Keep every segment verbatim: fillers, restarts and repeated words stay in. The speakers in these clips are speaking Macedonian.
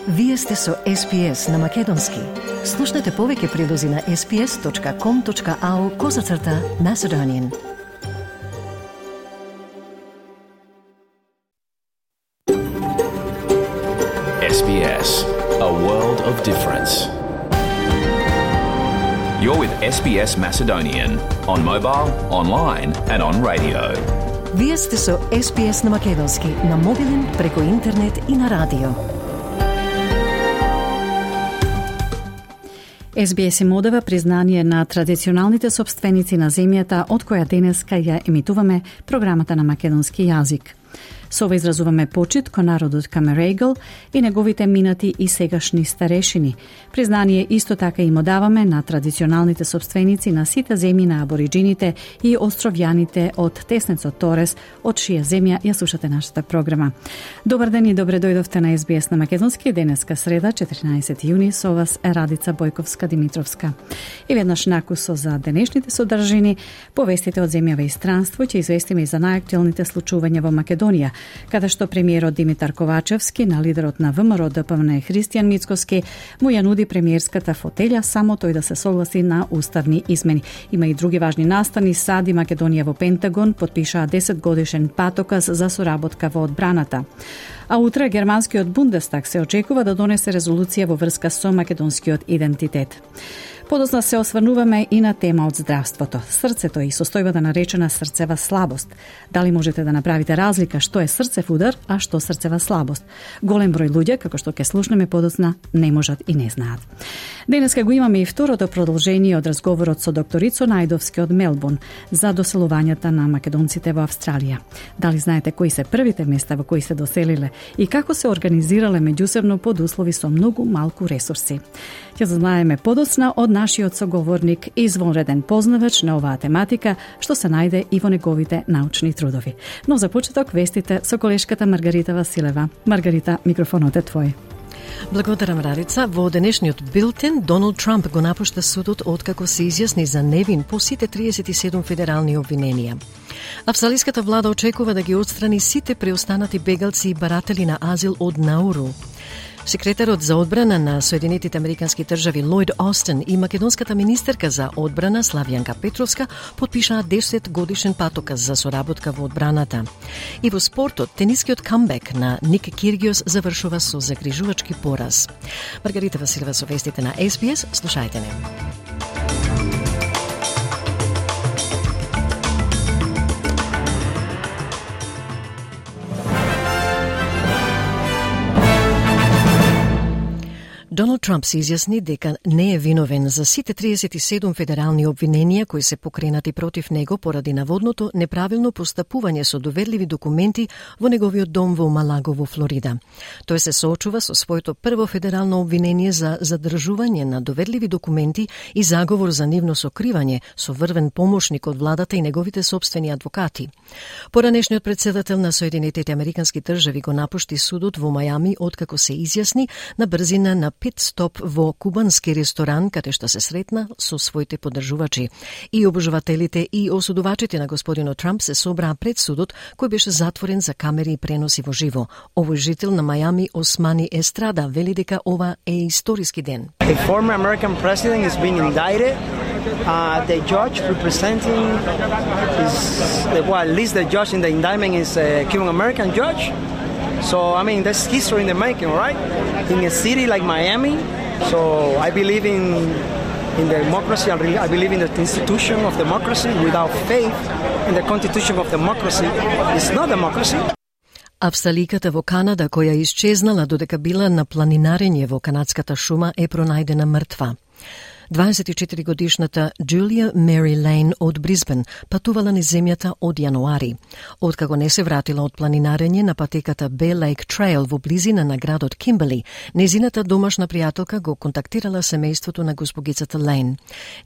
Вие сте со Ес Би Ес на Македонски. Слушнете повеќе прилози на ес би ес точка ком точка ау козацрта Macedonian. Ес Би Ес, a world of difference. You're with Ес Би Ес Macedonian on mobile, online and on radio. Вие сте со Ес Би Ес на Македонски, на мобилен, преку интернет и на радио. Ес Би Ес им одава признание на традиционалните собственици на земјата од која денеска ја емитуваме програмата на македонски јазик. Со ова изразуваме почит кон народот Камерегл и неговите минати и сегашни старешини. Признание исто така им одаваме на традиционалните собственици на сите земји на абориджините и островјаните од теснецот Торес, од чија земја ја слушате нашата програма. Добар ден и добре дојдовте на Ес Би Ес на Македонски, денеска среда, четрнаесети јуни, со вас е Радица Бојковска-Димитровска. И веднаш накусо за денешните содржини, повестите од земјава и странство, ќе известиме и за најактуелните случувања во Македонија, каде што премиерот Димитар Ковачевски на лидерот на ВМРО Д П М Н Христијан Мицкоски му ја нуди премиерската фотелја само тој да се согласи на уставни измени. Има и други важни настани. САД и Македонија во Пентагон потпишаа десет годишен патоказ за соработка во одбраната. А утре германскиот Бундестаг се очекува да донесе резолуција во врска со македонскиот идентитет. Подоцна се осврнуваме и на тема од здравството. Срцето и состојбата наречена срцева слабост. Дали можете да направите разлика што е срцев удар, а што срцева слабост? Голем број луѓе, како што ќе слушнеме подоцна, не можат и не знаат. Денеска го имаме и второто продолжение од разговорот со докторицо Најдовски од Мелбурн за доселувањата на македонците во Австралија. Дали знаете кои се првите места во кои се доселиле и како се организирале меѓусебно под услови со многу малку ресурси? Ќе знаеме подоцна од нашиот соговорник и извонреден познавач на оваа тематика, што се најде и во неговите научни трудови. Но за почеток вестите со колешката Маргарита Василева. Маргарита, микрофонот е твој. Благодарам, Радица. Во денешниот билтен Доналд Трамп го напушта судот откако се изјасни за невин по сите триесет и седум федерални обвиненија. Австралиската влада очекува да ги отстрани сите преостанати бегалци и баратели на азил од Науру. Секретарот за одбрана на Соединетите Американски држави Лојд Остин и македонската министерка за одбрана Славјанка Петровска потпишаа десет годишен патоказ за соработка во одбраната. И во спортот, тенискиот камбек на Ник Киргиос завршува со загрижувачки пораз. Маргарита Василева со вестите на Ес Би Ес, слушајте не. Доналд Трамп се изјасни дека не е виновен за сите триесет и седум федерални обвиненија кои се покренати против него поради наводното неправилно постапување со доверливи документи во неговиот дом во Малаго во Флорида. Тој се соочува со своето прво федерално обвинение за задржување на доверливи документи и заговор за нивно сокривање со врвен помошник од владата и неговите собствени адвокати. Поранешниот председател на Соединетите Американски држави го напушти судот во Мајами откако се изјасни на брзина на пит стоп во кубански ресторан каде што се сретна со своите поддржувачи. И обожувателите и осудувачите на господинот Трамп се собраа пред судот кој беше затворен за камери и преноси во живо. Овој жител на Мајами Османи Естрада вели дека ова е историски ден. A former American president is being indicted. Uh, the judge representing is, well, at least the judge in the indictment is a Cuban American judge. So, I mean, that's history in the making, right? In a city like Miami. So, I believe in in democracy. I believe in the institution of democracy. Without faith in the constitution of democracy, it's not democracy. Австраликата во Канада, која исчезнала додека била на планинарење во канадската шума, е пронајдена мртва. дваесет и четири годишната Джулија Мери Лейн од Брисбен патувала низ земјата од јануари. Откако не се вратила од планинарење на патеката Bear Lake Trail во близина на градот Кимберли, незината домашна пријателка го контактирала семејството на госпогицата Лейн.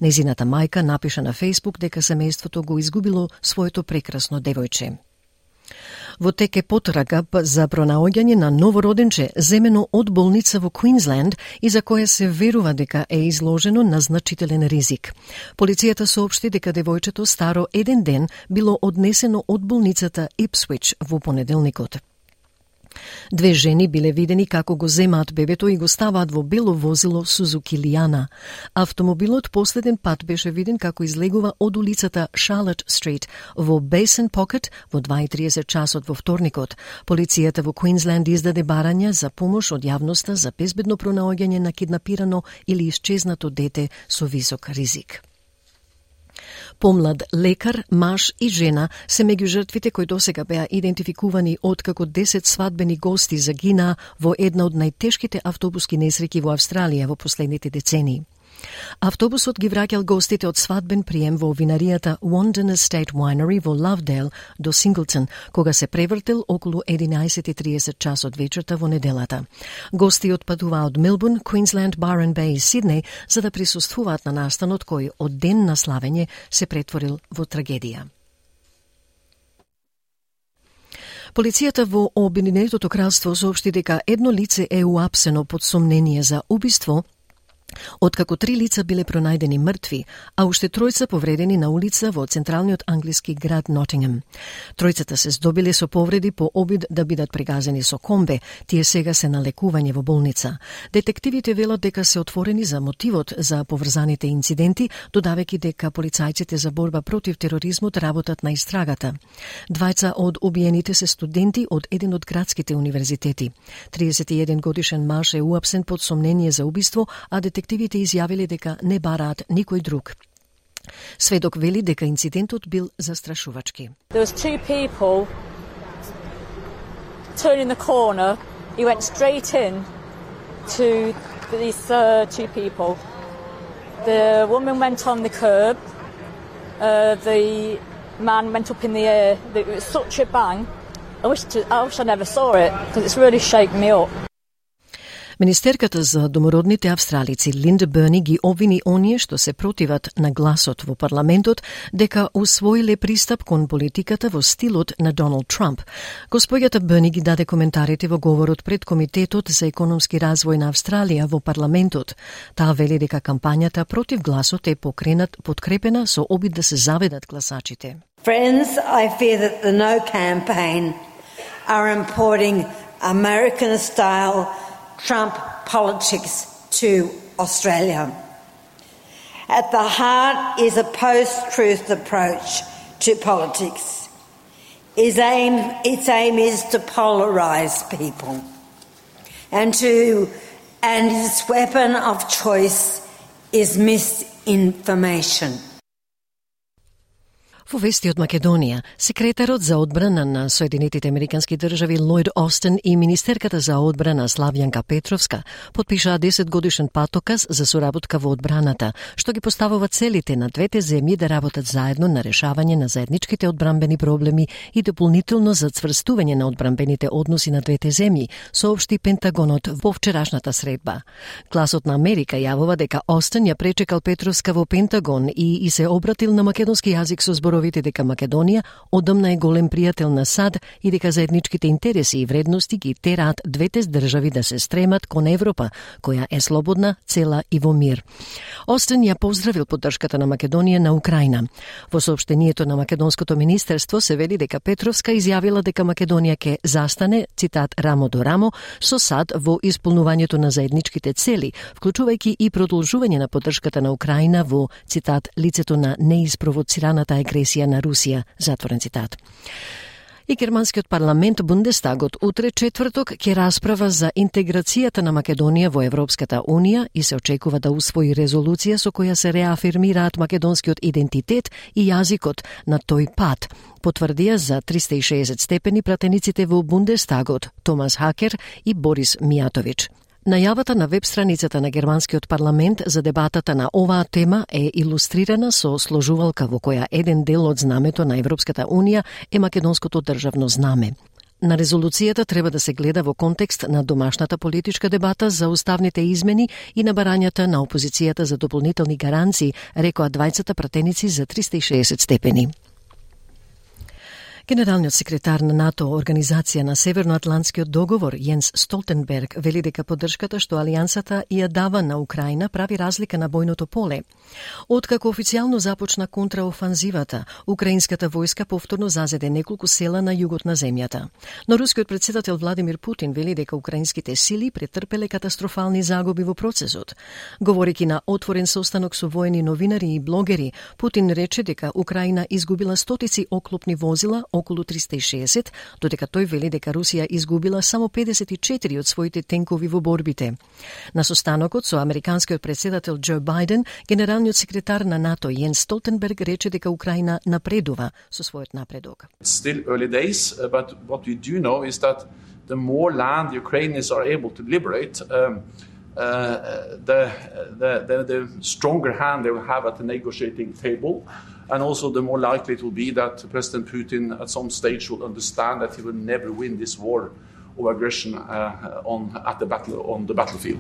Незината мајка напиша на Фејсбук дека семејството го изгубило своето прекрасно девојче. Во тек е потрага за пронаоѓање на новороденче земено од болница во Квинсленд и за кое се верува дека е изложено на значителен ризик. Полицијата соопшти дека девојчето старо еден ден било однесено од болницата Ипсвич во понеделникот. Две жени биле видени како го земаат бебето и го ставаат во бело возило Сузуки Лиана. Автомобилот последен пат беше виден како излегува од улицата Charlotte Street во Basin Pocket во два и триесет часот во вторникот. Полицијата во Квинсленд издаде барања за помош од јавноста за безбедно пронаоѓање на киднапирано или исчезнато дете со висок ризик. Помлад лекар, маж и жена се меѓу жртвите кои досега беа идентификувани откако десет свадбени гости загинаа во една од најтешките автобуски несреќи во Австралија во последните децении. Автобусот ги враќал гостите од свадбен прием во винаријата Wandin Estate Winery во Lovedale до Синглтон, кога се превртел околу единаесет и триесет часот вечерта во неделата. Гости отпадуваа од Мелбурн, Квинсленд, Барен Беј и Сиднеј за да присуствуваат на настанот кој од ден на славење се претворил во трагедија. Полицијата во Обединетото кралство соопшти дека едно лице е уапсено под сомнение за убиство, откако три лица биле пронајдени мртви, а уште тројца повредени на улица во централниот англиски град Нотингем. Тројцата се здобиле со повреди по обид да бидат прегазени со комбе, тие сега се на лекување во болница. Детективите велат дека се отворени за мотивот за поврзаните инциденти, додавајќи дека полицајците за борба против тероризмот работат на истрагата. Двајца од убиените се студенти од еден од градските универзитети. триесет и еден годишен маж е уапсен под сомнение за убиство, а детективите изјавиле дека не бараат никој друг. Сведок вели дека инцидентот бил застрашувачки. There was two people turning the corner. He went straight in to these uh, two people. The woman went on the curb. Uh, the man went up in the air. It was such a bang. I wish to, I wish I never saw it because it's really shaken me up. Министерката за домородните австралици Линда Берни ги обвини оние што се противат на гласот во парламентот дека усвоиле пристап кон политиката во стилот на Доналд Трамп. Господјата Берни ги даде коментарите во говорот пред Комитетот за економски развој на Австралија во парламентот. Таа вели дека кампањата против гласот е покренат подкрепена со обид да се заведат гласачите. Friends, I fear that the No campaign are importing American-style Trump politics to Australia. At the heart is a post-truth approach to politics. Its aim, its aim is to polarize people, and to, and its weapon of choice is misinformation. Во вести од Македонија, секретарот за одбрана на Соединетите Американски држави Лојд Остин и министерката за одбрана Славјанка Петровска потпишаа десет годишен патоказ за соработка во одбраната, што ги поставува целите на двете земји да работат заедно на решавање на заедничките одбранбени проблеми и дополнително за цврстување на одбранбените односи на двете земји, соопшти Пентагонот во вчерашната средба. Гласот на Америка јавува дека Остин ја пречекал Петровска во Пентагон и, и се обратил на македонски јазик со збор дека Македонија одамна е голем пријател на САД и дека заедничките интереси и вредности ги тераат двете држави да се стремат кон Европа, која е слободна, цела и во мир. Остин ја поздравил поддршката на Македонија на Украина. Во соопштението на Македонското министерство се вели дека Петровска изјавила дека Македонија ќе застане, цитат, рамо до рамо, со САД во исполнувањето на заедничките цели, вклучувајќи и продолжување на поддршката на Украина во, цитат, лицето на неиспровоцираната агресија на Русија, затворен цитат. И германскиот парламент Бундестагот утре четврток ќе расправа за интеграцијата на Македонија во Европската Унија и се очекува да усвои резолуција со која се реафирмираат македонскиот идентитет и јазикот на тој пат, потврдија за триста и шеесет степени пратениците во Бундестагот Томас Хакер и Борис Мијатовиќ. Најавата на веб страницата на германскиот парламент за дебатата на оваа тема е илустрирана со сложувалка во која еден дел од знамето на Европската Унија е македонското државно знаме. На резолуцијата треба да се гледа во контекст на домашната политичка дебата за уставните измени и на барањата на опозицијата за дополнителни гаранции, рекоа двајцата пратеници за триста и шеесет степени. Генералниот секретар на НАТО, Организација на Северноатлантскиот договор, Јенс Столтенберг, вели дека поддршката што алијансата ја дава на Украина прави разлика на бојното поле. Откако официјално започна контраофанзивата, украинската војска повторно зазеде неколку села на југот на земјата. Но рускиот претседател Владимир Путин вели дека украинските сили претрпеле катастрофални загуби во процесот. Говорејќи на отворен состанок со воени новинари и блогери, Путин рече дека Украина изгубила стотици оклопни возила, околу триста и шеесет, додека тој вели дека Русија изгубила само педесет и четири од своите тенкови во борбите. На состанокот со американскиот претседател Џо Бајден, генералниот секретар на НАТО Јенс Столтенберг рече дека Украина напредува со својот напредок. Still early days, but what we do know is that the more land the Ukrainians are able to liberate, um, uh, the, the, the, the stronger hand they will have at the negotiating table. And also the more likely it will be that President Putin at some stage will understand that he will never win this war of aggression uh, on, at the battle, on the battlefield.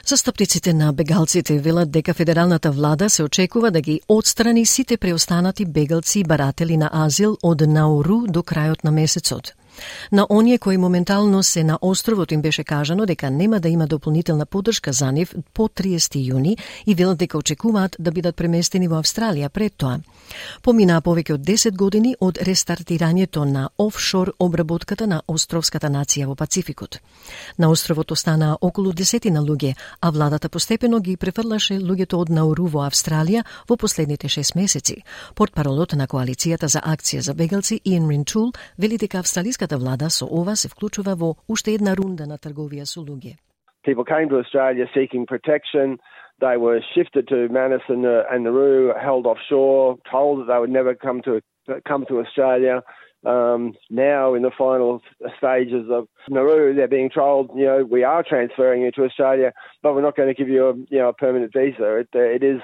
Застапниците на бегалците велат дека федералната влада се очекува да ги отстрани сите преостанати бегалци и баратели на азил од Науру до крајот на месецот. На оние кои моментално се на островот им беше кажано дека нема да има дополнителна поддршка за нив по триесети јуни и велат дека очекуваат да бидат преместени во Австралија пред тоа. Поминаа повеќе од десет години од рестартирањето на офшор обработката на островската нација во Пацификот. На островот останаа околу десетина луѓе, а владата постепено ги префрлаше луѓето од Науру во Австралија во последните шест месеци. Портпаролот на коалицијата за акција за бегалци Иен Ринтул вели дека австралиската влада со ова се вклучува во уште една рунда на трговија со луѓе. People came to Australia seeking protection. They were shifted to Manus and, uh, and Nauru, held offshore, told that they would never come to come to Australia. Um, now, in the final stages of Nauru, they're being told, you know, we are transferring you to Australia, but we're not going to give you a, you know, a permanent visa. It, uh, it is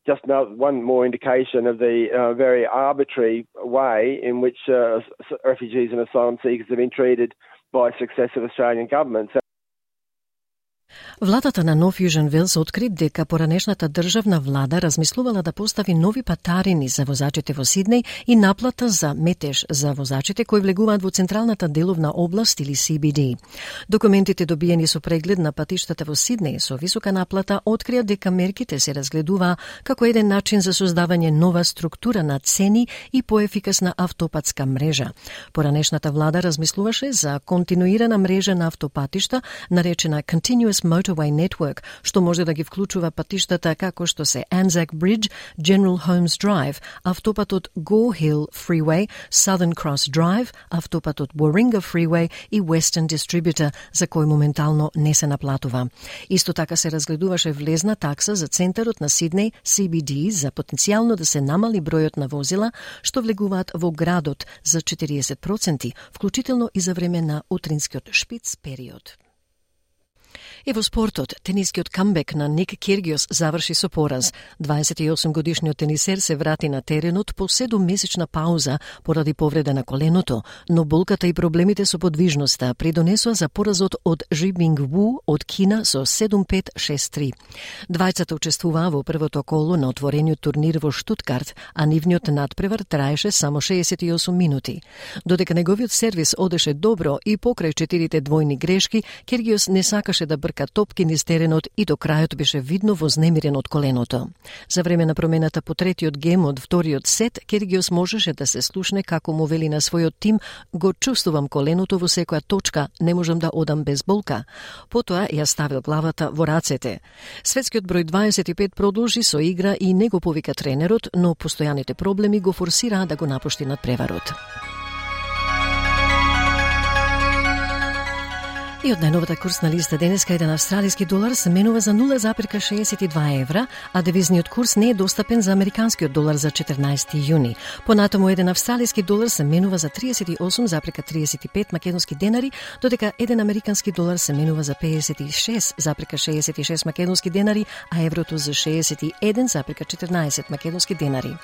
just one more indication of the uh, very arbitrary way in which uh, refugees and asylum seekers have been treated by successive Australian governments. Владата на Нов Јужен Велс откри дека поранешната државна влада размислувала да постави нови патарини за возачите во Сиднеј и наплата за метеж за возачите кои влегуваат во централната деловна област или Си Би Ди. Документите добиени со преглед на патиштата во Сиднеј со висока наплата открија дека мерките се разгледуваа како еден начин за создавање нова структура на цени и поефикасна автопатска мрежа. Поранешната влада размислуваше за континуирана мрежа на автопатишта, наречена Continuous Motorway Network, што може да ги вклучува патиштата како што се Anzac Bridge, General Holmes Drive, автопатот Gore Hill Freeway, Southern Cross Drive, автопатот Warringah Freeway и Western Distributor, за кој моментално не се наплатува. Исто така се разгледуваше влезна такса за центарот на Сиднеј, Си Би Ди, за потенцијално да се намали бројот на возила што влегуваат во градот за четириесет проценти, вклучително и за време на утринскиот шпиц период. И во спортот, тенискиот камбек на Ник Киргиос заврши со пораз. дваесет и осум годишниот тенисер се врати на теренот по седуммесечна пауза поради повреда на коленото, но болката и проблемите со подвижноста придонесоа за поразот од Жи Бинг Ву од Кина со седум пет шест три. Двајцата учествуваа во првото коло на отворениот турнир во Штутгарт, а нивниот надпревар траеше само шеесет и осум минути. Додека неговиот сервис одеше добро и покрај четирите двојни грешки, Киргиос не сакаше да брка топки низ теренот и до крајот беше видно вознемирен од коленото. За време на промената по третиот гем од вториот сет, Киргиос можеше да се слушне како му вели на својот тим: го чувствувам коленото во секоја точка, не можам да одам без болка. Потоа ја ставил главата во рацете. Светскиот број дваесет и пет продолжи со игра и не го повика тренерот, но постојаните проблеми го форсираа да го напушти надпреварот. И од најновата курсна листа денеска еден австралиски долар се менува за нула запирка шеесет и два евра, а девизниот курс не е достапен за американскиот долар за четрнаесети јуни. Понатаму еден австралиски долар се менува за триесет и осум запирка триесет и пет македонски денари, додека еден американски долар се менува за пеесет и шест запирка шеесет и шест македонски денари, а еврото за шеесет и еден запирка четрнаесет македонски денари.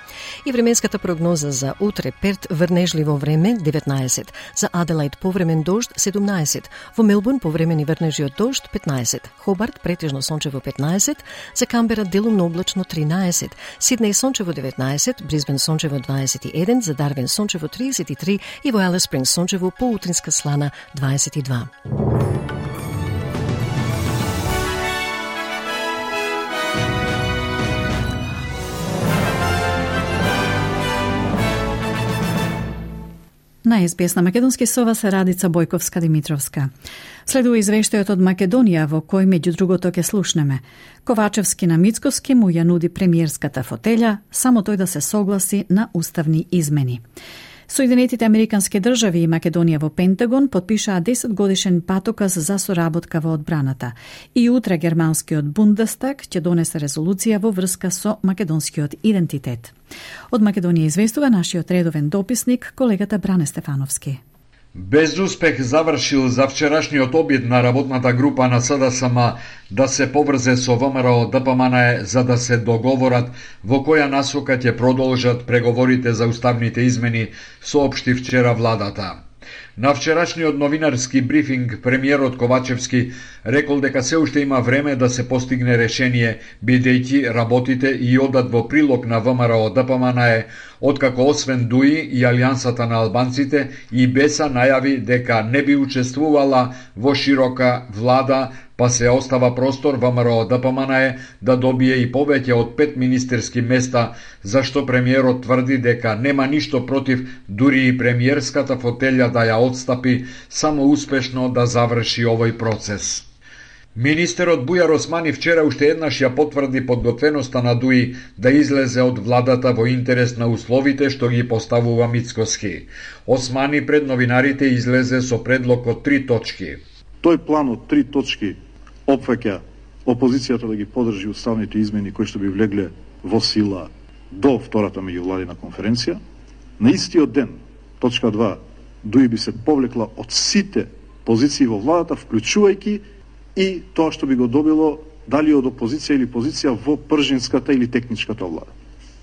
И временската прогноза за утре: Перт врнежливо време деветнаесет, за Аделаид повремен дожд седумнаесет, во Мелбурн Мелбурн повремени врнежи од дожд петнаесет, Хобарт претежно сончево петнаесет, за Камбера делумно облачно тринаесет, Сиднеј сончево деветнаесет, Брисбен сончево дваесет и еден, за Дарвин сончево триесет и три и во Алис Спрингс сончево поутринска слана дваесет и два. На ес би ес на македонски со вас е Радица Бојковска-Димитровска. Следува извештајот од Македонија во кој меѓу другото ќе слушнеме. Ковачевски на Мицкоски му ја нуди премиерската фотеља, само тој да се согласи на уставни измени. Соединетите Американски држави и Македонија во Пентагон подпишаа десет годишен патоказ за соработка во одбраната. И утре германскиот Бундестаг ќе донесе резолуција во врска со македонскиот идентитет. Од Македонија известува нашиот редовен дописник, колегата Бране Стефановски. Без успех завршил за вчерашниот обид на работната група на С Д С М да се поврзе со В М Р Д П М Н за да се договорат во која насока ќе продолжат преговорите за уставните измени, соопшти вчера владата. На вчерашниот новинарски брифинг премиерот Ковачевски рекол дека се уште има време да се постигне решение, бидејќи работите и одат во прилог на В М Р Д П М Н, откако освен ДУИ и Алијансата на албанците и БЕСА најави дека не би учествувала во широка влада, па се остава простор В М Р Д П М Н да добие и повеќе од пет министерски места, зашто премиерот тврди дека нема ништо против дури и премиерската фотелја да ја отстапи, само успешно да заврши овој процес. Министерот Бујар Османи вчера уште еднаш ја потврди подготвеноста на ДУИ да излезе од владата во интерес на условите што ги поставува Мицкоски. Османи пред новинарите излезе со предлог од три точки. Тој план од три точки опфаќа опозицијата да ги подржи уставните измени кои што би влегле во сила до втората меѓувладина конференција. На истиот ден, точка два, ДУИ би се повлекла од сите позиции во владата, вклучувајќи и тоа што би го добило дали од опозиција или позиција во пржинската или техничката влада.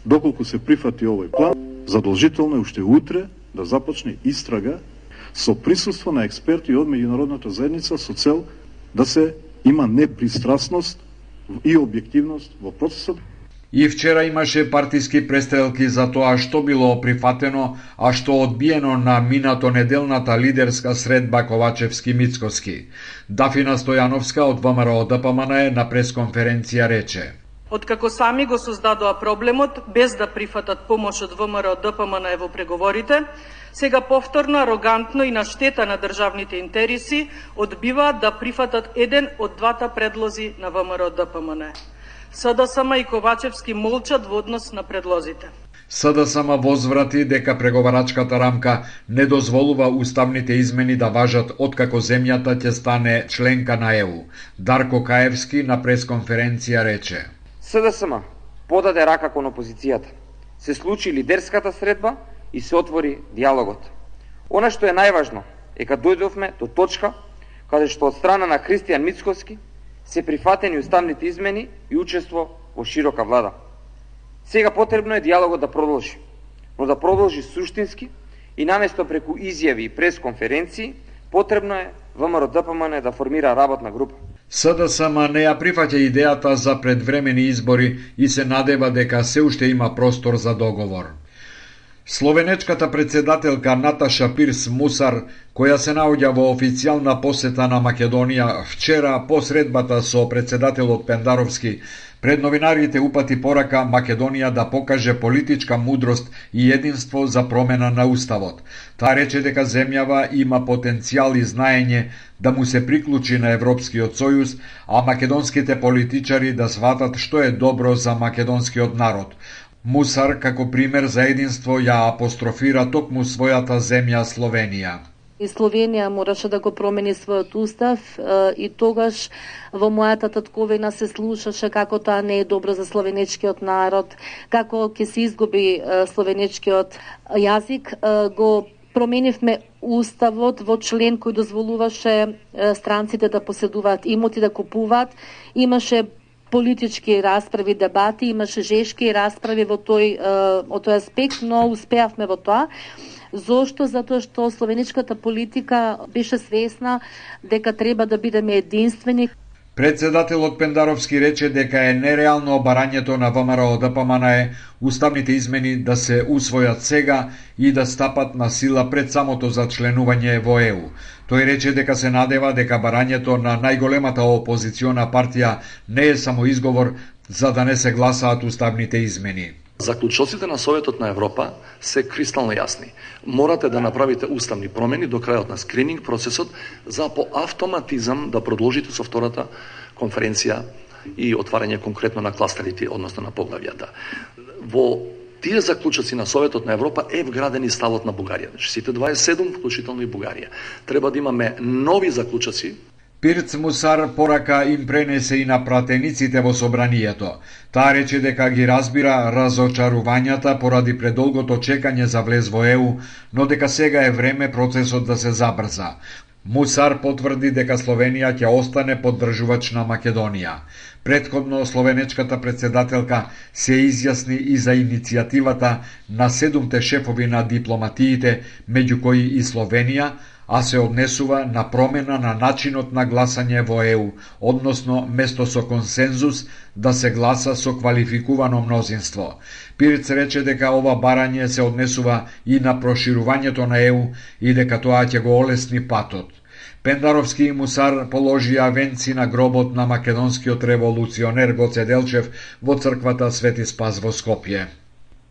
Доколку се прифати овој план, задолжително е уште утре да започне истрага со присуство на експерти од меѓународната заедница со цел да се има непристрасност и објективност во процесот. И вчера имаше партиски престрелки за тоа што било прифатено, а што одбиено на минато неделната лидерска средба Ковачевски-Мицкоски. Дафина Стојановска од В М Р Д П М Н на пресконференција рече: Откако сами го создадоа проблемот без да прифатат помош од В М Р Д П М Н во преговорите, сега повторно, арогантно и на штета на државните интереси одбиваат да прифатат еден од двата предлози на В М Р Д П М Н. С Д С М и Ковачевски молчат во однос на предлозите. С Д С М возврати дека преговарачката рамка не дозволува уставните измени да важат откако земјата ќе стане членка на Е У. Дарко Каевски на пресконференција рече: С Д С М подаде рака кон опозицијата. Се случи лидерската средба и се отвори диалогот. Она што е најважно е кога дојдовме до точка каде што од страна на Христијан Мицкоски се прифатени уставните измени и учество во широка влада. Сега потребно е диалогот да продолжи, но да продолжи суштински и наместо преку изјави и пресконференции, потребно е В М Р Д П М Н да формира работна група. С Д С М не ја прифаќа идејата за предвремени избори и се надева дека се уште има простор за договор. Словенечката председателка Наташа Пирс Мусар, која се наоѓа во официјална посета на Македонија вчера по средбата со председателот Пендаровски, пред новинарите упати порака Македонија да покаже политичка мудрост и единство за промена на уставот. Таа рече дека земјава има потенцијал и знаење да му се приклучи на Европскиот сојуз, а македонските политичари да сватат што е добро за македонскиот народ. Мусар, како пример за единство, ја апострофира токму својата земја Словенија. И Словенија мораше да го промени својот устав и тогаш во мојата татковина се слушаше како тоа не е добро за словенечкиот народ, како ќе се изгуби словенечкиот јазик. Го променивме уставот во член кој дозволуваше странците да поседуваат имоти, да купуваат. Имаше политички расправи, дебати, имаше жешки расправи во тој, во тој аспект, но успеавме во тоа. Зошто? Затоа што словеничката политика беше свесна дека треба да бидеме единствени. Председателот Пендаровски рече дека е нереално барањето на ВМРО ДПМН уставните измени да се усвојат сега и да стапат на сила пред самото зачленување во Е У. Тој рече дека се надева дека барањето на најголемата опозициона партија не е само изговор за да не се гласаат уставните измени. Заклучоците на Советот на Европа се кристално јасни. Морате да направите уставни промени до крајот на скрининг процесот за по автоматизам да продолжите со втората конференција и отварање конкретно на кластерите, односно на поглавјата. Во тие заклучоци на Советот на Европа е вграден и ставот на Бугарија. Значи сите дваесет и седум, вклучително и Бугарија. Треба да имаме нови заклучоци. Пирц Мусар порака им пренесе и на пратениците во собранието. Таа рече дека ги разбира разочарувањата поради предолгото чекање за влез во Е У, но дека сега е време процесот да се забрза. Мусар потврди дека Словенија ќе остане поддржувач на Македонија. Претходно словенечката председателка се изјасни и за иницијативата на седумте шефови на дипломатиите, меѓу кои и Словенија, а се однесува на промена на начинот на гласање во Е У, односно место со консензус да се гласа со квалификувано мнозинство. Пирц рече дека ова барање се однесува и на проширувањето на Е У и дека тоа ќе го олесни патот. Пендаровски и Мусар положија венци на гробот на македонскиот револуционер Гоце Делчев во црквата Свети Спас во Скопје.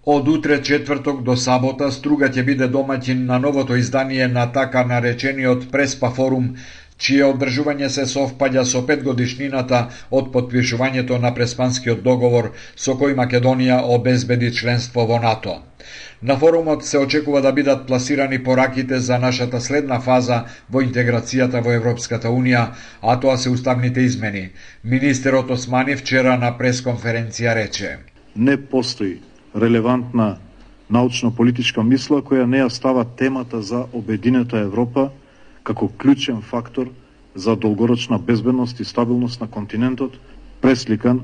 Од утре четврток до сабота Струга ќе биде домаќин на новото издание на така наречениот Преспа форум, чие одржување се совпаѓа со петгодишнината од потпишувањето на Преспанскиот договор со кој Македонија обезбеди членство во НАТО. На форумот се очекува да бидат пласирани пораките за нашата следна фаза во интеграцијата во Европската Унија, а тоа се уставните измени. Министерот Османи вчера на пресконференција рече: Не постои релевантна научно-политичка мисла која не ја става темата за обединета Европа како клучен фактор за долгорочна безбедност и стабилност на континентот, пресликан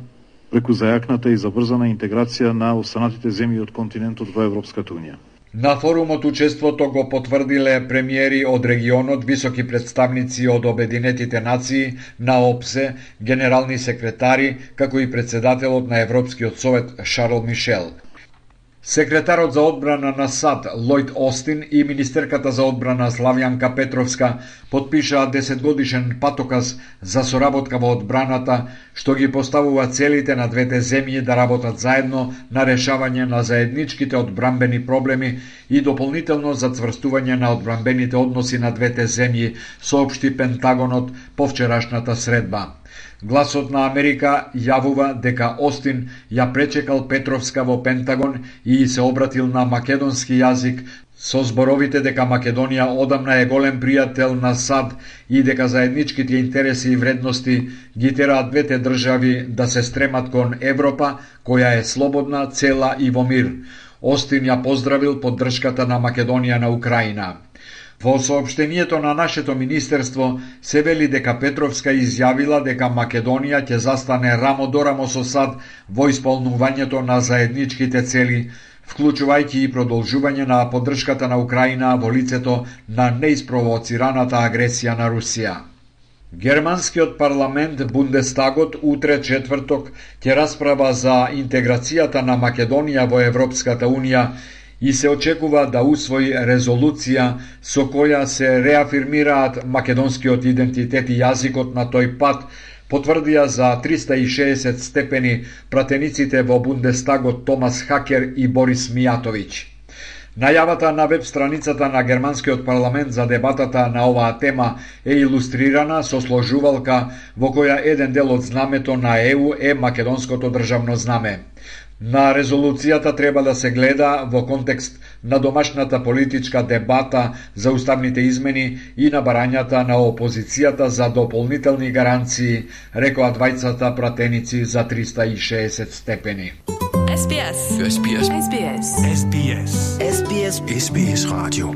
преку зајакната и забрзана интеграција на останатите земји од континентот во Европската Унија. На форумот учеството го потврдиле премиери од регионот, високи представници од Обединетите нации, на ОПСЕ, генерални секретари, како и председателот на Европскиот совет Шарл Мишел. Секретарот за одбрана на САД Лојд Остин и министерката за одбрана Славјанка Петровска потпишаа десетгодишен патоказ за соработка во одбраната, што ги поставува целите на двете земји да работат заедно на решавање на заедничките одбранбени проблеми и дополнително за цврстување на одбранбените односи на двете земји, соопшти Пентагонот по вчерашната средба. Гласот на Америка јавува дека Остин ја пречекал Петровска во Пентагон и се обратил на македонски јазик со зборовите дека Македонија одамна е голем пријател на САД и дека заедничките интереси и вредности ги тераат двете држави да се стремат кон Европа, која е слободна, цела и во мир. Остин ја поздравил поддршката на Македонија на Украина. Во соопштението на нашето министерство се вели дека Петровска изјавила дека Македонија ќе застане рамо до рамо со САД во исполнувањето на заедничките цели, вклучувајќи и продолжување на поддршката на Украина во лицето на неиспровоцираната агресија на Русија. Германскиот парламент Бундестагот утре четврток ќе расправа за интеграцијата на Македонија во Европската Унија и се очекува да усвои резолуција со која се реафирмираат македонскиот идентитет и јазикот на тој пат, потврдија за триста и шеесет степени пратениците во Бундестагот Томас Хакер и Борис Мијатовиќ. Најавата на веб страницата на германскиот парламент за дебатата на оваа тема е илустрирана со сложувалка во која еден дел од знамето на Е У е македонското државно знаме. На резолуцијата треба да се гледа во контекст на домашната политичка дебата за уставните измени и на барањата на опозицијата за дополнителни гаранции, рекоа двајцата пратеници за триста и шеесет степени. Ес Би Ес. Ес Би Ес. Ес Би Ес. Ес Би Ес. Ес Би Ес. Ес Би Ес радио.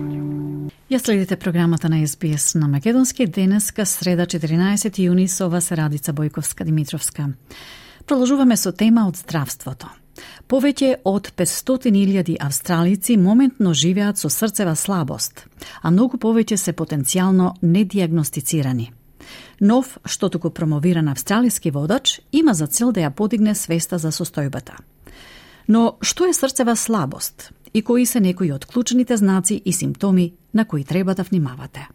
Ја следите програмата на Ес Би Ес на македонски денеска среда четиринаесети јуни со вас Радица Бојковска Димитровска. Продолжуваме со тема од здравството. Повеќе од петстотини илјади австралици моментно живеат со срцева слабост, а многу повеќе се потенцијално недиагностицирани. Нов, што туку промовиран австралиски водач, има за цел да ја подигне свеста за состојбата. Но што е срцева слабост и кои се некои од клучните знаци и симптоми на кои треба да внимавате?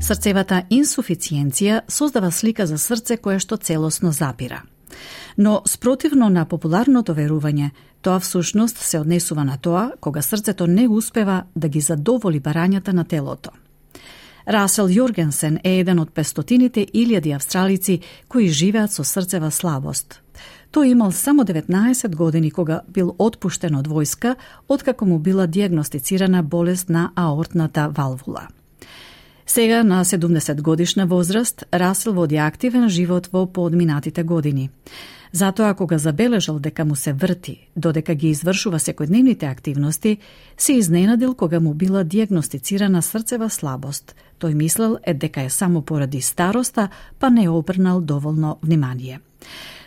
Срцевата инсуфициенција создава слика за срце кое што целосно запира. Но спротивно на популарното верување, тоа всушност се однесува на тоа кога срцето не успева да ги задоволи барањата на телото. Расел Јоргенсен е еден од петстотините илјади австралици кои живеат со срцева слабост. Тој имал само деветнаесет години кога бил отпуштен од војска, откако му била диагностицирана болест на аортната валвула. Сега, на седумдесет годишна возраст, Расел води активен живот во поодминатите години. Затоа, кога забележал дека му се врти, додека ги извршува секојдневните активности, се изненадил кога му била диагностицирана срцева слабост. Тој мислел е дека е само поради староста, па не обрнал доволно внимание.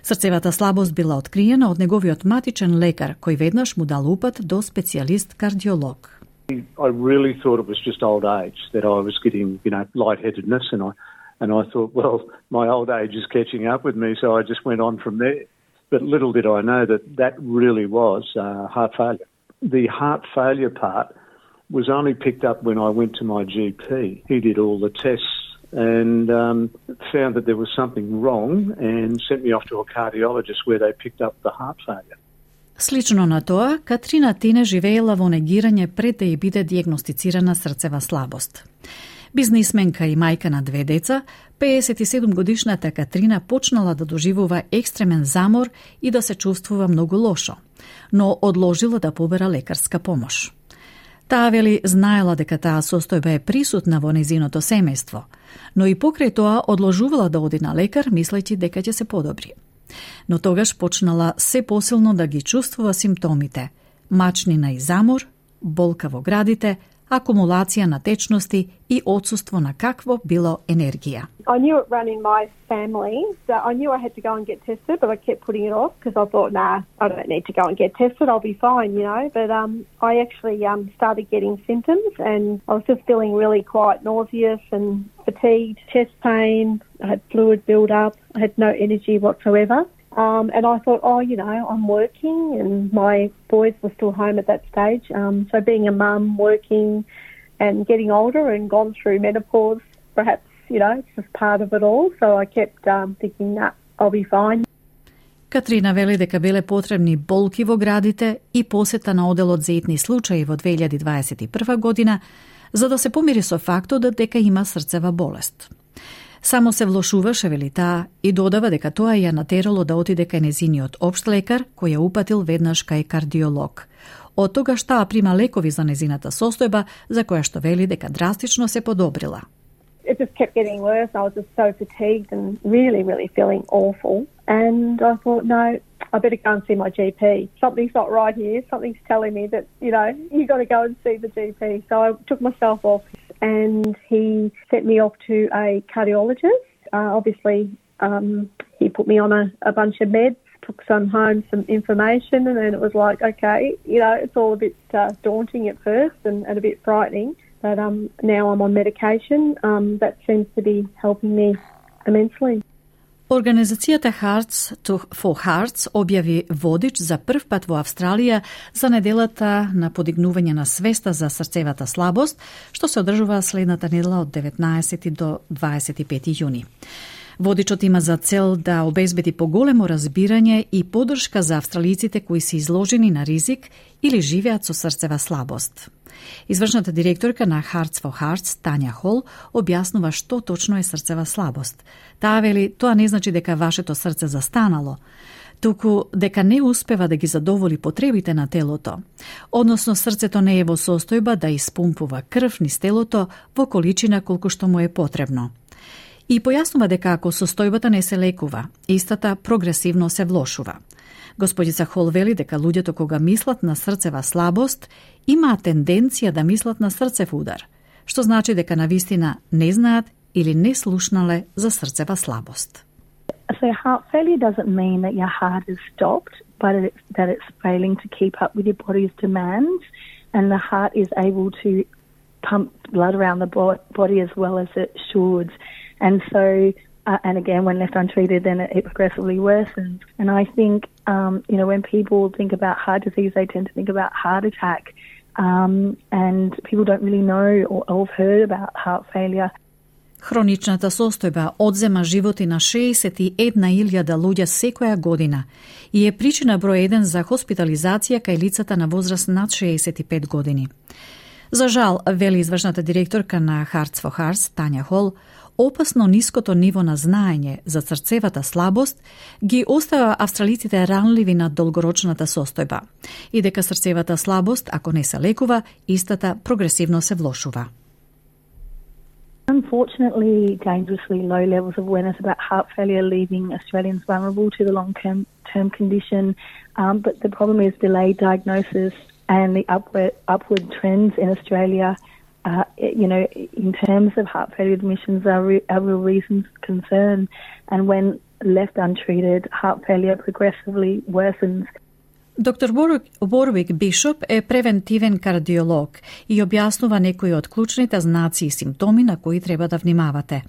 Срцевата слабост била откриена од неговиот матичен лекар, кој веднаш му дал упат до специјалист кардиолог. I really thought it was just old age, that I was getting, you know, lightheadedness, and I and I thought, well, my old age is catching up with me, so I just went on from there. But little did I know that that really was uh, heart failure. The heart failure part was only picked up when I went to my G P. He did all the tests and um, found that there was something wrong and sent me off to a cardiologist where they picked up the heart failure. Слично на тоа, Катрина Тине живеела во негирање пред да ја биде диагностицирана срцева слабост. Бизнисменка и мајка на две деца, пеесет и седум годишната Катрина почнала да доживува екстремен замор и да се чувствува многу лошо, но одложила да побера лекарска помош. Таа вели знаела дека таа состојба е присутна во незиното семејство, но и покрај тоа одложувала да оди на лекар, мислејќи дека ќе се подобри. Но тогаш почнала се посилно да ги чувствува симптомите – мачнина и замор, болка во градите, акумулација на течности и отсуство на какво било енергија. I knew it ran in my family, so I knew I had to go and get tested, but I kept putting it off because I thought, nah, I don't need to go and get tested, I'll be fine, you know. But um, I actually um, started getting symptoms and I was just feeling really quite nauseous and fatigued, chest pain, I had fluid build up, I had no energy whatsoever. Um, and I thought, oh, you know, I'm working and my boys were still home at that stage. Um, so being a mum, working and getting older and gone through menopause, perhaps, you know, it's just part of it all. So I kept um, thinking, nah, I'll be fine. Катрина вели дека биле потребни болки во градите и посета на оделот за итни случаи во две илјади дваесет и прва година, за да се помири со фактот дека има срцева болест. Само се влошуваше, вели таа, и додава дека тоа ја натерало да отиде кај незиниот општ лекар, кој ја упатил веднаш кај кардиолог. Од тогаш таа прима лекови за незината состојба, за која што вели дека драстично се подобрила. It just kept getting worse. I was just so fatigued and really, really feeling awful. And I thought, no, I better go and see my G P. Something's not right here. Something's telling me that, you know, you got to go and see the G P. So I took myself off and he sent me off to a cardiologist. Uh, obviously, um, he put me on a, a bunch of meds, took some home, some information, and then it was like, okay, you know, it's all a bit uh, daunting at first and, and a bit frightening. But um, now I'm on medication. Um, that seems to be helping me immensely. Организацијата Hearts for Hearts објави водич за прв пат во Австралија за неделата на подигнување на свеста за срцевата слабост, што се одржува следната недела од деветнаесети до дваесет и пети јуни. Водичот има за цел да обезбеди поголемо разбирање и поддршка за австралиците кои се изложени на ризик или живеат со срцева слабост. Извршната директорка на Hearts for Hearts, Тања Хол, објаснува што точно е срцева слабост. Таа вели, тоа не значи дека вашето срце застанало, туку дека не успева да ги задоволи потребите на телото. Односно, срцето не е во состојба да испумпува крв низ телото во количина колку што му е потребно. И појаснува дека ако состојбата не се лекува, истата прогресивно се влошува. Господица Хол вели дека луѓето кога мислат на срцева слабост, имаат тенденција да мислат на срцев удар, што значи дека навистина не знаат или не слушнале за срцева слабост. So heart failure doesn't mean that your heart is stopped, but it's, that it's failing to keep up with your body's demands, and the heart is able to pump blood around the body as well as it should. And so, uh, and again, when left untreated, then it, it progressively worsens. And I think, um, you know, when people think about heart disease, they tend to think about heart attack, um, and people don't really know or, or have heard about heart failure. Хроничната состојба одзема животи на шеесет и една илјада луѓе секоја година и е причина број еден за хоспитализација кај лицата на возраст над шеесет и пет години. За жал, вели извршната директорка на Hearts for Hearts, Тања Хол, опасно ниското ниво на знаење за срцевата слабост ги остава австралиците ранливи на долгорочната состојба и дека срцевата слабост, ако не се лекува, истата прогресивно се влошува. Unfortunately, dangerously low levels of awareness about heart failure leaving Australians vulnerable to the long-term term condition. Um, but the problem is delayed diagnosis and the upward upward trends in Australia. Uh, you know, in terms of heart failure admissions, are, re- are real reasons of concern. And when left untreated, heart failure progressively worsens. Доктор Ворвик Бишоп е превентивен кардиолог и објаснува некои од клучните знаци и симптоми на кои треба да внимавате.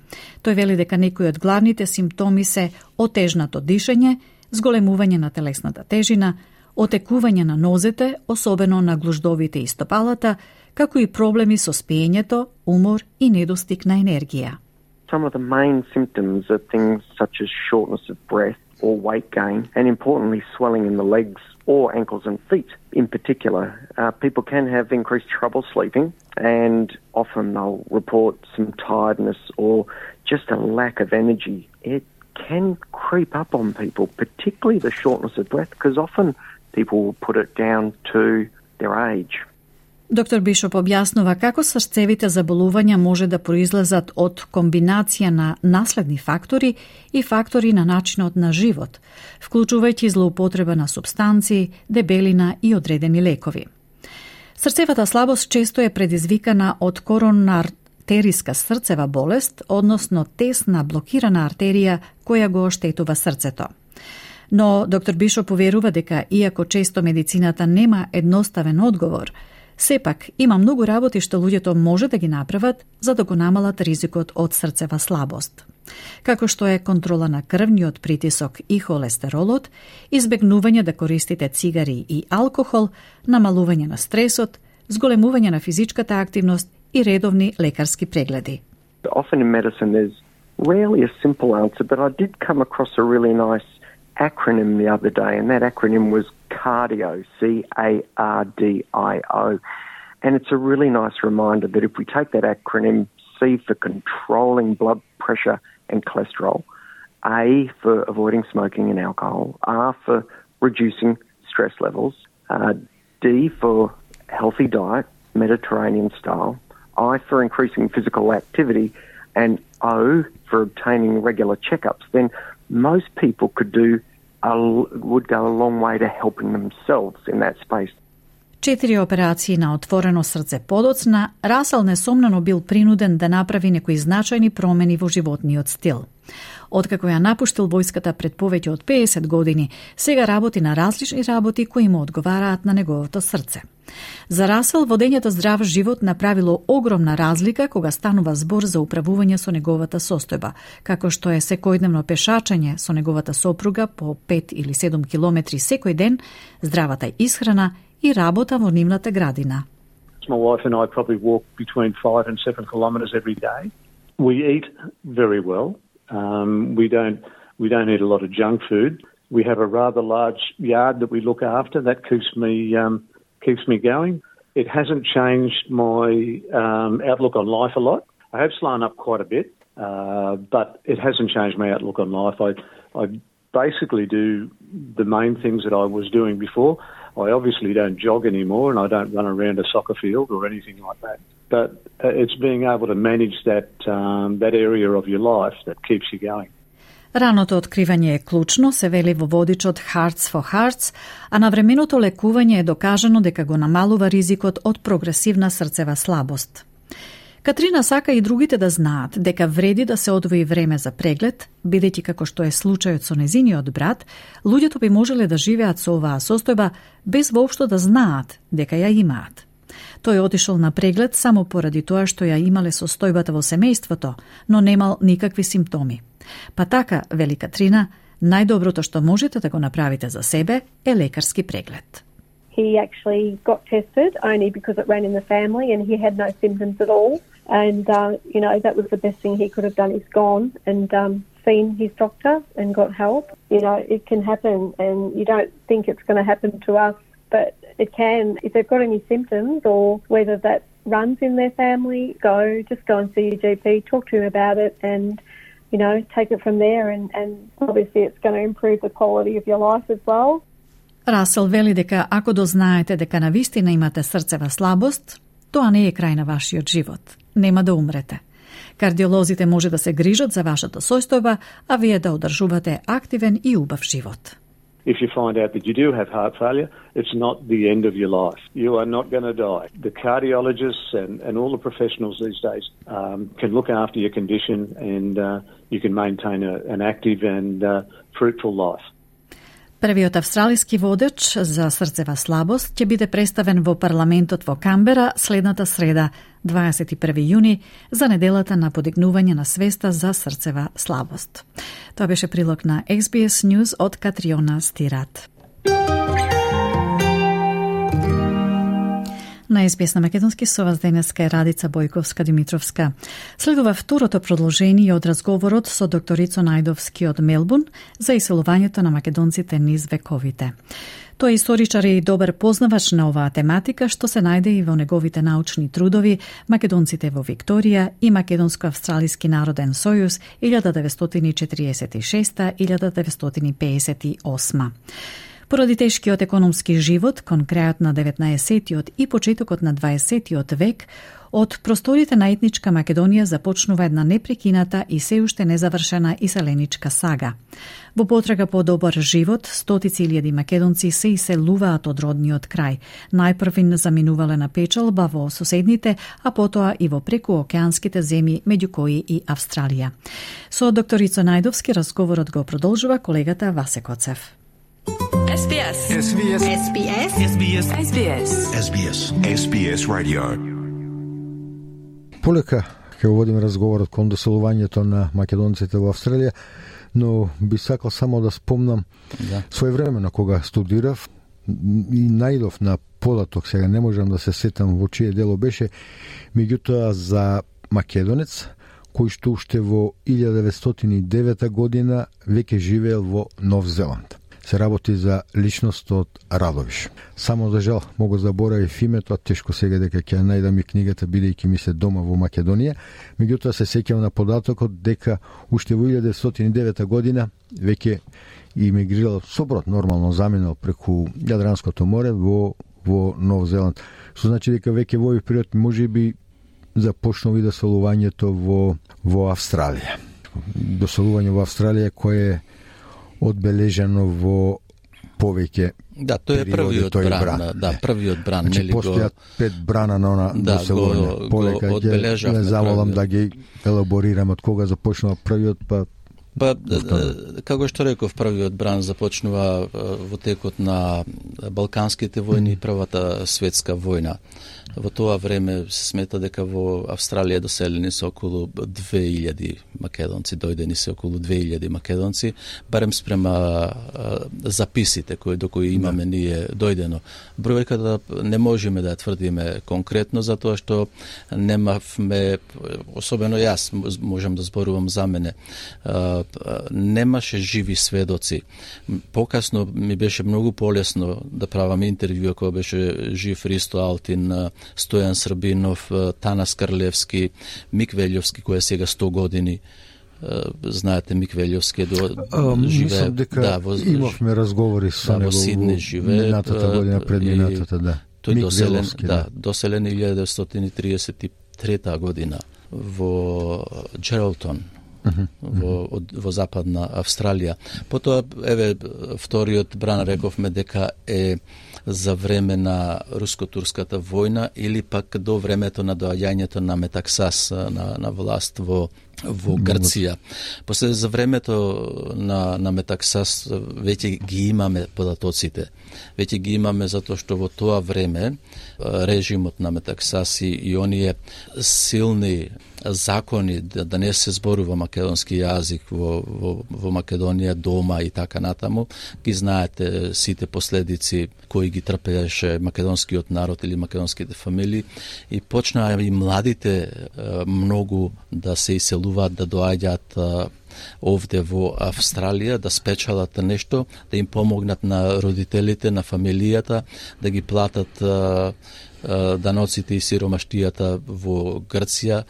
Тој вели дека некои од главните симптоми се отежнато дишење, зголемување на телесната тежина, отекување на нозете, особено на глуждовите и стопалата, како и проблеми со спиењето, умор и недостиг на енергија. Some of the main symptoms are things such as shortness of breath or weight gain, and importantly swelling in the legs or ankles and feet in particular. Uh, people can have increased trouble sleeping, and often they'll report some tiredness or just a lack of energy. It can creep up on people, particularly the shortness of breath, because often people will put it down to their age. Доктор Бишоп објаснува како срцевите заболувања може да произлезат од комбинација на наследни фактори и фактори на начинот на живот, вклучувајќи злоупотреба на супстанции, дебелина и одредени лекови. Срцевата слабост често е предизвикана од коронартериска срцева болест, односно тесна блокирана артерија која го оштетува срцето. Но доктор Бишоп поверува дека иако често медицината нема едноставен одговор, сепак има многу работи што луѓето може да ги направат за да го намалат ризикот од срцева слабост, како што е контрола на крвниот притисок и холестеролот, избегнување да користите цигари и алкохол, намалување на стресот, зголемување на физичката активност и редовни лекарски прегледи. Often in medicine there's rarely a simple answer, but I did come across a really nice acronym the other day, and that acronym was CARDIO, C A R D I O. And it's a really nice reminder that if we take that acronym, C for controlling blood pressure and cholesterol, A for avoiding smoking and alcohol, R for reducing stress levels, uh, D for healthy diet, Mediterranean style, I for increasing physical activity, and O for obtaining regular checkups, then most people could do a, would go a long way to helping themselves in that space. Четири операции на отворено срце подоцна, Расел несомнено бил принуден да направи некои значајни промени во животниот стил. Откако ја напуштил војската пред повеќе од педесет години, сега работи на различни работи кои му одговараат на неговото срце. За Расел, водењето здрав живот направило огромна разлика кога станува збор за управување со неговата состојба, како што е секојдневно пешачење со неговата сопруга по пет или седум километри секој ден, здравата исхрана и работа во нивната градина. My wife and I probably walk between five and seven kilometres every day. We eat very well. Um, we don't we don't eat a lot of junk food. We have a rather large yard that we look after. That keeps me um, keeps me going. It hasn't changed my um, outlook on life a lot. I have slowed up quite a bit, uh, but it hasn't changed my outlook on life. I I basically do the main things that I was doing before. I obviously don't jog anymore, and I don't run around a soccer field or anything like that. But it's being able to manage that um, that area of your life that keeps you going. Раното откривање е клучно, се вели во водичот Hearts for Hearts, а навременото лекување е докажано дека го намалува ризикот од прогресивна срцева слабост. Катрина сака и другите да знаат дека вреди да се одвои време за преглед, бидејќи како што е случајот со незиниот брат, луѓето би можеле да живеат со оваа состојба без воопшто да знаат дека ја имаат. Тој отишол на преглед само поради тоа што ја имале состојбата во семејството, но немал никакви симптоми. Па така, вели Катрина, најдоброто што можете да го направите за себе е лекарски преглед. He actually got tested only because it ran in the family and he had no symptoms at all. And, uh, you know, that was the best thing he could have done. He's gone and um, seen his doctor and got help. You know, it can happen and you don't think it's going to happen to us, but it can. If they've got any symptoms or whether that runs in their family, go, just go and see your G P, talk to him about it and, you know, take it from there and, and obviously it's going to improve the quality of your life as well. Расел вели дека ако дознаете дека навистина имате срцева слабост, тоа не е крај на вашиот живот. Нема да умрете. Кардиолозите може да се грижат за вашата состојба, а вие да одржувате активен и убав живот. If you find out that you do have heart failure, it's not the end of your life. You are not going to die. The cardiologists and, and all the professionals these days um, can look after your condition and uh, you can maintain a, an active and uh, fruitful life. Првиот австралиски водеч за срцева слабост ќе биде представен во парламентот во Камбера следната среда, дваесет и први јуни, за неделата на подигнување на свеста за срцева слабост. Тоа беше прилог на Ес Би Ес News од Катриона Стират. На Ес Би Ес на македонски со вас денеска е Радица Бојковска-Димитровска. Следува второто продолжение од разговорот со докторицо Најдовски од Мелбурн за иселувањето на македонците низ вековите. Тој е историчар и добар познавач на оваа тематика, што се најде и во неговите научни трудови Македонците во Викторија и Македонско-австралиски народен сојуз илјада деветстотини четириесет и шеста до илјада деветстотини пеесет и осма. Поради тешкиот економски живот кон крајот на деветнаесеттиот и почетокот на дваесеттиот век, од просторите на етничка Македонија започнува една непрекината и се уште незавршена иселеничка сага. Во потрага по добар живот, стотици илјади македонци се иселуваат од родниот крај. Најпрвин заминувале на печалба во соседните, а потоа и во прекуокеанските земји, меѓу кои и Австралија. Со докторицо Најдовски разговорот го продолжува колегата Васе Коцев. Ес Би Ес. Ес Би Ес. Ес Би Ес. Ес Би Ес. Ес Би Ес. Ес Би Ес. Ес Би Ес Radio. Полека ќе водим разговорот кон доселувањето на македонците во Австралија, но би сакал само да спомнам да. Своевремено кога студирав и најдов на податок, сега не можам да се сетам во чие дело беше, меѓутоа за македонец кој што уште во илјада деветстотини и девета година веќе живеел во Нов Зеланд. Се работи за личност од Радовиш. Само за жал могу заборавив името, а тешко сега дека ќе најдам и книгата, бидејќи ми се дома во Македонија. Меѓутоа се сеќавам на податокот дека уште во илјада деветстотини и девета година веќе имигрирал со брод, нормално заминал преку Јадранското море во во Нов Зеланд. Што значи дека веќе во овој период можеби започнува и доселувањето во во Австралија. Доселување во Австралија кое е одбележано во повеќе да, тој е првиот бран, бран, да, првиот бран, значи, нели го постојат пет брана на она да, доселување. Полека ќе не заволам да ги елаборирам од кога започнува првиот, па Па, како што реков, првиот бран започнува во текот на Балканските војни и Првата светска војна. Во тоа време се смета дека во Австралија доселени се околу две илјади македонци, дојдени се околу две илјади македонци, барем спрема записите кои до кои имаме ние дојдено. Бројката не можеме да ја тврдиме конкретно, затоа што немавме, особено јас можам да зборувам за мене, немаше живи сведоци. Покасно ми беше многу полесно да правам интервју кога беше жив Ристо Алтин, Стојан Србинов, Танас Карлевски, Мик Велјовски, кој е сега сто години. Знаете, Мик Велјовски до а, живее. Мислам дека да, во, имавме разговори со да, него во Сидни живее. Минатата година, пред минатата, да. Тој Мик доселен, Веловски, да, да. доселен илјада деветстотини триесет и трета година во Джералтон, Uh-huh. во, од, во западна Австралија. Потоа, еве, вториот бран рековме дека е за време на руско-турската војна или пак до времето на доаѓањето на Метаксас на, на власт во во Грција. После за времето на, на Метаксас веќе ги имаме податоците. Веќе ги имаме затоа што во тоа време режимот на Метаксас и, и оние силни закони да, да не се зборува македонски јазик во, во, во Македонија дома и така натаму, ги знаете сите последици кои ги трпееше македонскиот народ или македонските фамилии и почнаа и младите многу да се иселуваат, да доаѓаат овде во Австралија, да спечалат нешто, да им помогнат на родителите, на фамилијата, да ги платат даноците и сиромаштијата во Грција.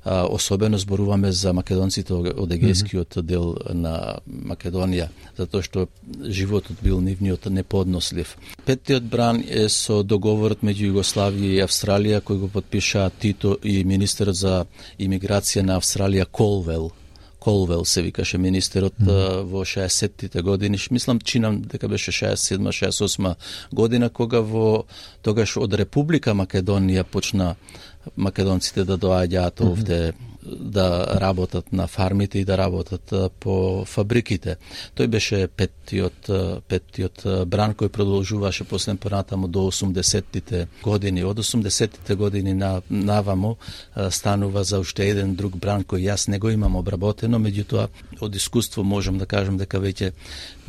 Особено зборуваме за македонците од егејскиот дел на Македонија, затоа што животот бил нивниот неподнослив. Петтиот бран е со договорот меѓу Југославија и Австралија кој го подпиша Тито и министерот за имиграција на Австралија Колвел. Колвел се викаше министерот mm. во шеесеттите години. Мислам, чинам дека беше шеесет и седма шеесет и осма година, кога во тогаш од Република Македонија почна македонците да доаѓаат овде да работат на фармите и да работат по фабриките. Тој беше петтиот, петтиот бран кој продолжуваше после понатаму до осумдесеттите години. Од осумдесеттите години на, навамо станува за уште еден друг бран кој јас не го имам обработено, меѓутоа од искуство можам да кажам дека веќе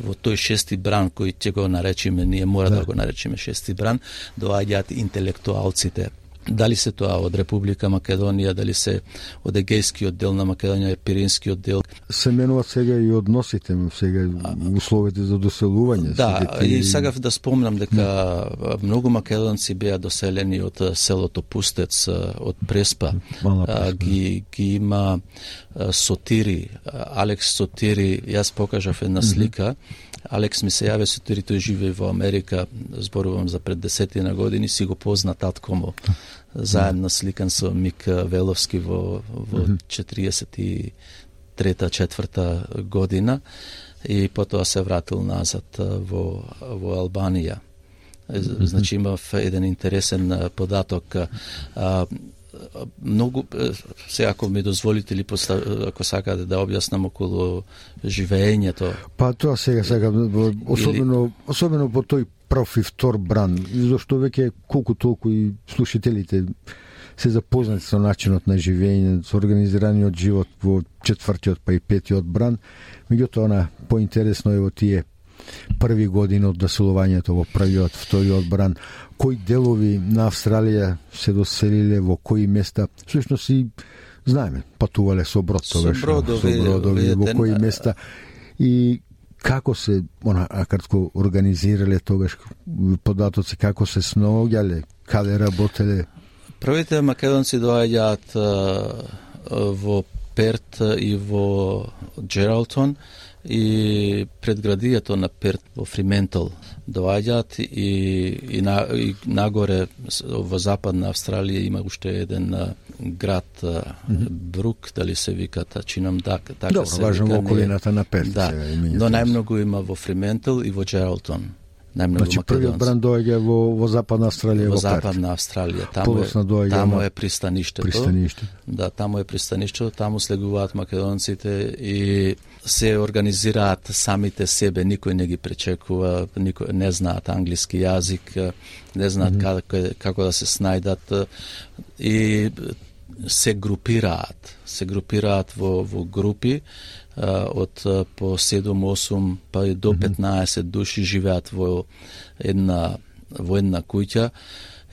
во тој шести бран кој ќе го наречиме, ние мора да, да го наречиме шести бран, доаѓаат интелектуалците. Дали се тоа од Република Македонија, дали се од егејскиот дел на Македонија, пиринскиот дел. Се менуваат сега и односите, сега условите за доселување. Да, и сега да спомнам дека многу македонци беа доселени од селото Пустец, од Преспа. Преспа. Ги, ги има Сотири, Алекс Сотири, јас покажав една слика. Алекс ми се јаве Сотири, тој живее во Америка, зборувам за пред десетина години, си го позна татко му. Заедно сликан со Мик Веловски во, во четириесет и трета четврта година и потоа се вратил назад во, во Албанија. Значи имав еден интересен податок. А, многу се ако ми дозволите или ако сакате да објаснам околу живеењето. Па тоа сега сега особено или... особено по тој прв и втор бран, зашто веќе колку толку и слушателите се запознати со начинот на живење, со организираниот живот во четвртиот па и петиот бран, меѓутоа она поинтересно е во тие први години од доселувањето во првиот, вториот бран, кои делови на Австралија се доселиле, во кои места, всушност и знаеме, патувале со брод тогаш, со бродови, со бродови во кои места и како се она кратко организирале тогаш податоци, како се снаоѓале, каде работеле. Првите македонци доаѓаат во Перт и во Джералтон и предградието на Перт во Фриментал доаѓаат и, и, на, и нагоре во западна Австралија има уште еден град mm-hmm. Брук, дали се виката, чинам така, така Добро, се важно вика. Во околината на Перт. Да, но најмногу има во Фриментал и во Джералтон. Значи првиот бран доаѓа во, во западна Австралија, во во Перт. западна Австралија. Таму е, таму е пристаништето. Пристаниште. Да, таму е пристаништето, таму слегуваат македонците и се организираат самите себе, никој не ги пречекува, никој не знаат англиски јазик, не знаат mm-hmm. како, како да се снајдат и се групираат, се групираат во, во групи од по седум-осум па и до петнаесет души живеат во една во една куќа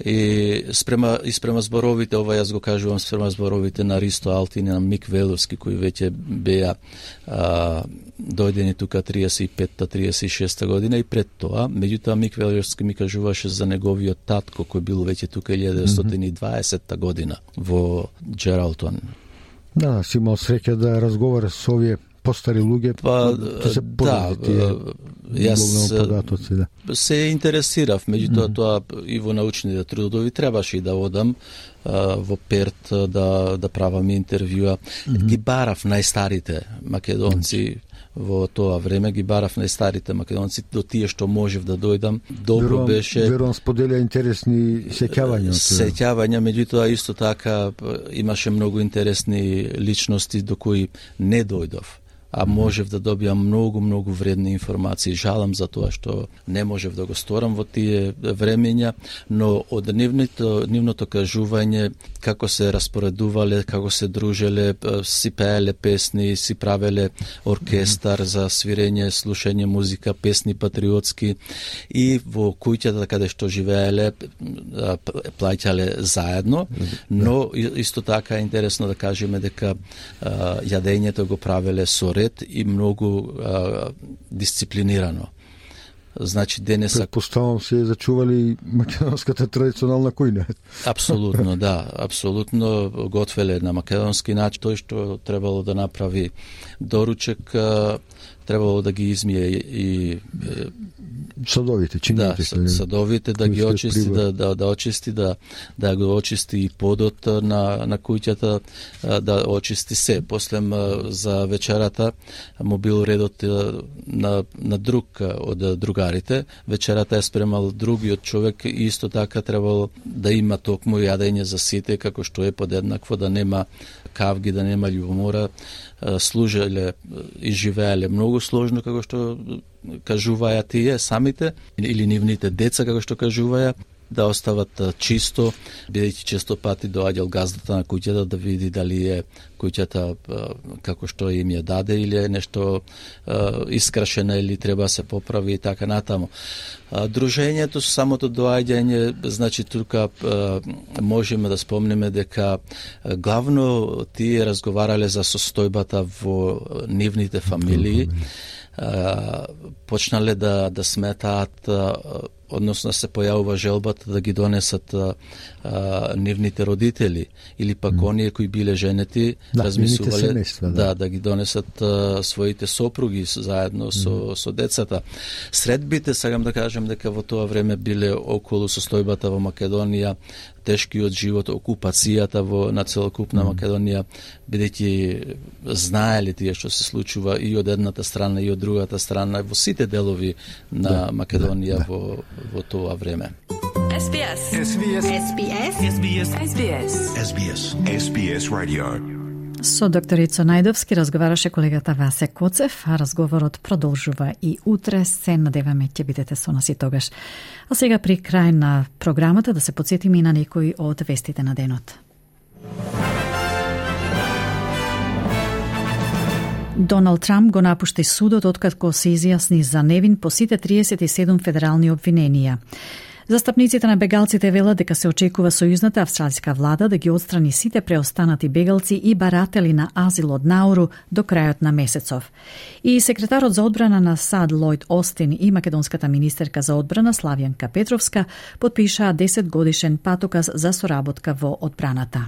и спрема и спрема зборовите, ова јас го кажувам спрема зборовите на Ристо Алтин и на Мик Веловски кои веќе беа а, дојдени тука триесет и петта триесет и шеста година и пред тоа, меѓутоа Мик Веловски ми кажуваше за неговиот татко кој бил веќе тука илјада деветстотини и дваесетта година во Джералтон. Да, си имал среќа да разговара со овие постари луѓе, па, да се да, тие јас податоци, да. се интересирав, меѓутоа тоа и во научните трудови требаше и да одам во Перт да да правам интервјуа. Mm-hmm. Ги барав најстарите македонци во тоа време, ги барав најстарите македонци до тие што можев да дојдам. Добро верувам, беше. Верувам споделја интересни сеќавања. Сеќавања, меѓутоа исто така имаше многу интересни личности до кои не дојдов, а можев да добијам многу, многу вредни информации. Жалам за тоа што не можев да го сторам во тие времења, но од нивното, нивното кажување, како се распоредувале, како се дружеле, си пееле песни, си правеле оркестар за свирење, слушање музика, песни патриотски, и во куќата каде што живееле плаќале заедно, но исто така е интересно да кажеме дека јадењето го правеле со ред и многу а, дисциплинирано. Значи денеса Предпоставам се зачували македонската традиционална кујна. Апсолутно, да, апсолутно готвеле на македонски начин. Тој што требало да направи доручек, требало да ги измие и садовите, чините, да, садовите да ги очисти, да, да, да очисти, да, да го очисти и подот на, на куќата, да очисти се. После за вечерата му бил редот на, на друг од другарите. Вечерата е спремал другиот човек и исто така требало да има токму јадење за сите, како што е подеднакво, да нема кавги, да нема љубомора. Служеле и живееле многу сложно, како што кажуваја тие самите, или нивните деца, како што кажуваја, да остават чисто, бидејќи често пати доаѓал газдата на куќата да види дали е куќата како што им ја даде или е нешто искрашена или треба да се поправи и така натаму. Дружењето, самото доаѓање, значи тука можеме да спомнеме дека главно тие разговарале за состојбата во нивните фамилии, почнале да да сметаат, односно се појавува желбата да ги донесат а, а, нивните родители или пак mm. оние кои биле женети, да, размислувале семејства, да. да да ги донесат а, своите сопруги заедно со mm. со децата. Средбите, сакам да кажем дека во тоа време биле околу состојбата во Македонија, тешкиот живот, окупацијата во на целокупна mm. Македонија, бидејќи знаеле тие што се случува и од едната страна и од другата страна во сите делови на да, Македонија да, во во тоа време. Ес Би Ес. Ес Би Ес. Ес Би Ес. Ес Би Ес. Ес Би Ес. Ес Би Ес. Ес Би Ес радио. Со доктор Ицо Најдовски разговараше колегата Васе Коцев, а разговорот продолжува и утре. Се надеваме ќе бидете со нас и тогаш. А сега при крај на програмата да се потсетиме и на некои од вестите на денот. Доналд Трамп го напушти судот откако се изјасни за невин по сите триесет и седум федерални обвиненија. Застапниците на бегалците велат дека се очекува сојузната австралиска влада да ги отстрани сите преостанати бегалци и баратели на азил од Науру до крајот на месецов. И секретарот за одбрана на САД Лојд Остин и македонската министерка за одбрана Славјанка Петровска потпишаа десет годишен патоказ за соработка во одбраната.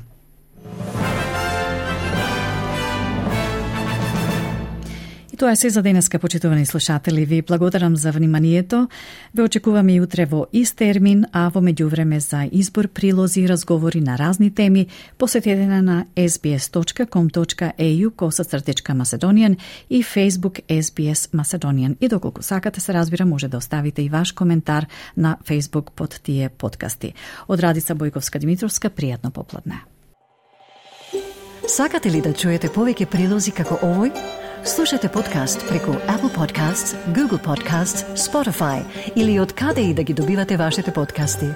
Тоа е се за денеска, почитувани слушатели. Ви благодарам за вниманието. Ве очекуваме и утре во ист термин, а во меѓувреме за избор, прилози и разговори на разни теми, посетете на ес би ес точка ком точка ей ю косацртичка Macedonian и Facebook ес би ес Macedonian. И доколку сакате, се разбира, може да оставите и ваш коментар на Facebook под тие подкасти. Од Радица Бојковска Димитровска, пријатно попладне. Сакате ли да чуете повеќе прилози како овој? Слушате подкаст преку Apple Podcasts, Google Podcasts, Spotify или од каде и да ги добивате вашите подкасти.